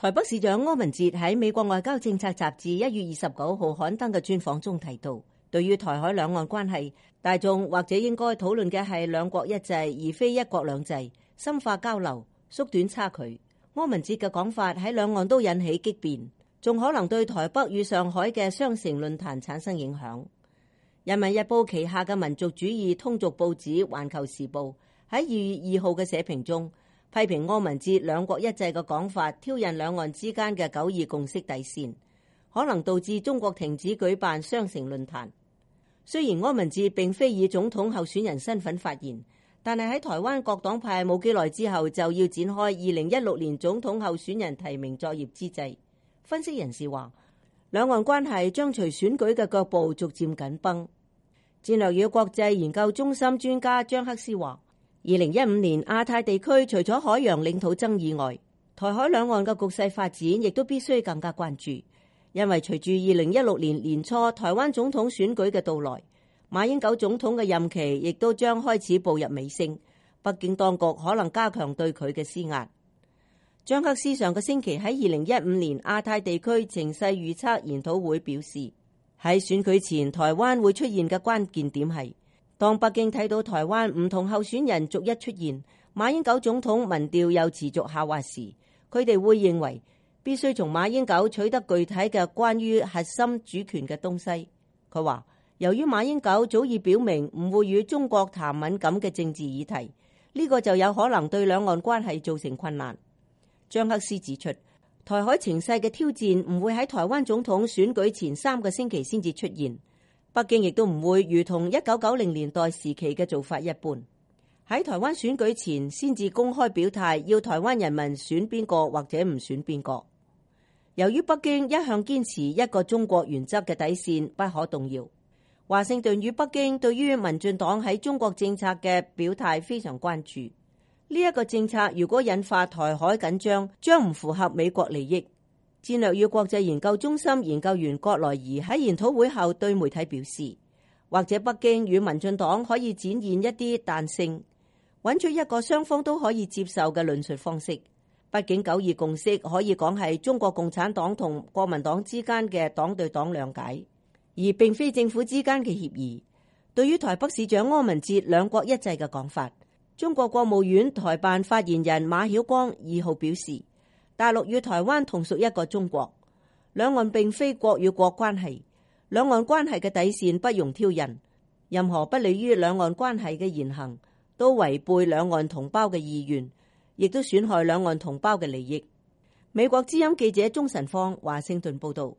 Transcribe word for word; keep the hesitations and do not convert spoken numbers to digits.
台北市長柯文哲喺美國外交政策雜誌一月二十九號刊登嘅專訪中提到，對於台海兩岸關係，大眾或者應該討論嘅係兩國一制，而非一國兩制，深化交流，縮短差距。柯文哲嘅講法喺兩岸都引起激辯，仲可能對台北與上海嘅雙城論壇產生影響。人民日報旗下嘅民族主義通俗報紙《環球時報》喺二月二號嘅社評中，批評柯文哲兩國一制嘅講法挑釁兩岸之間嘅九二共識底線，可能導致中國停止舉辦雙城論壇。雖然柯文哲並非以總統候選人身份發言，但係喺台灣各黨派冇幾耐之後就要展開二零一六年總統候選人提名作業之際，分析人士話，兩岸關係將隨選舉嘅腳步逐漸緊繃。戰略與國際研究中心專家張克思話，二零一五年亞太地區除咗海洋領土爭議外，台海兩岸嘅局勢發展亦都必須更加關注，因為隨住二零一六年年初台灣總統選舉嘅到來，馬英九總統嘅任期亦都將開始步入尾聲，北京當局可能加強對佢嘅施壓。張克思上個星期喺二零一五年亞太地區情勢預測研討會表示，喺選舉前台灣會出現嘅關鍵點係，當北京睇到台灣唔同候選人逐一出現，馬英九總統民調又持續下滑時，佢哋會認為必須從馬英九取得具體嘅關於核心主權嘅東西。佢話，由於馬英九早已表明唔會與中國談敏感嘅政治議題，呢個就有可能對兩岸關係造成困難。張克思指出，台海情勢嘅挑戰唔會喺台灣總統選舉前三個星期先至出現。北京亦都唔會如同一九九零年代時期嘅做法一般，喺台灣選舉前先至公開表態要台灣人民選邊個或者唔選邊個。由於北京一向堅持一個中國原則嘅底線不可動搖，華盛頓與北京對於民進黨喺中國政策嘅表態非常關注。呢一個政策如果引發台海緊張，將唔符合美國利益。戰略與國際研究中心研究員郭來儀喺研討會後對媒體表示，或者北京與民進黨可以展現一啲彈性，揾出一個雙方都可以接受嘅論述方式。畢竟九二共識可以講係中國共產黨同國民黨之間嘅黨對黨諒解，而並非政府之間嘅協議。對於台北市長柯文哲兩國一制嘅講法，中國國務院台辦發言人馬曉光二號表示，大陸與台灣同屬一個中國，兩岸並非國與國關係，兩岸關係嘅底線不容挑釁，任何不利於兩岸關係嘅言行都違背兩岸同胞嘅意願，亦都損害兩岸同胞嘅利益。美國之音記者鍾晨芳華盛頓報道。